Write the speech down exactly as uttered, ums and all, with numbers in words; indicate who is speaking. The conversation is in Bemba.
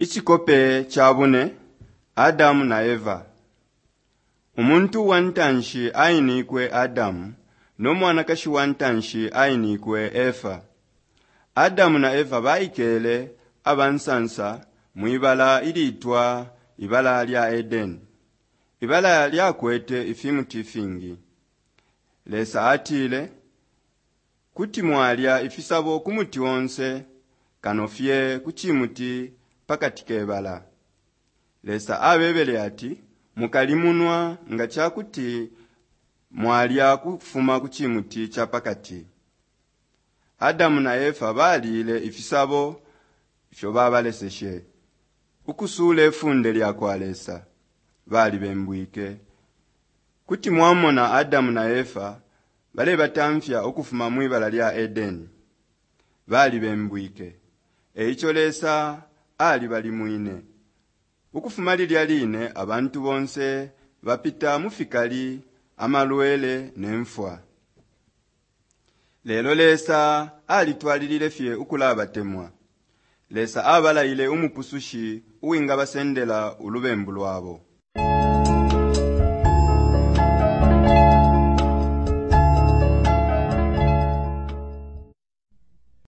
Speaker 1: Icikope ca bune Adamu na Eva. Umuntu wa ntanshi ainikwe Adamu no mwanakashi wa ntanshi ainikwe Efa. Adamu na Efa baikele abansansa mwibala ilitwa ibala lya Edeni. Ibala lyakwete ifimuti ifingi. Lesa atile, kuti mwalya ifisabo ku muti onse kano fye ku cimuti pakati ke bala. Lesa abebele ati, mukalimunwa nga cakuti mwalya kufuma ku cimuti ca pakati. Adamu na Efa baliile ifisabo ifyo babaleseshe. Ukusuule funde lya kwa Lesa, balibembwike. Kuti mwamona Adamu na Efa balebatamfya ukufuma mwibala lya Edeni. Balibembwike. E ico Lesa alibalimwine. Ukufuma lilya line abantu bonse bapita mu fikali, amalwele ne mfwa. Lelo Lesa alitwalilile fye ukulabatemwa. Lesa abalaile umupusushi uwingabasendela ulubembu lwabo.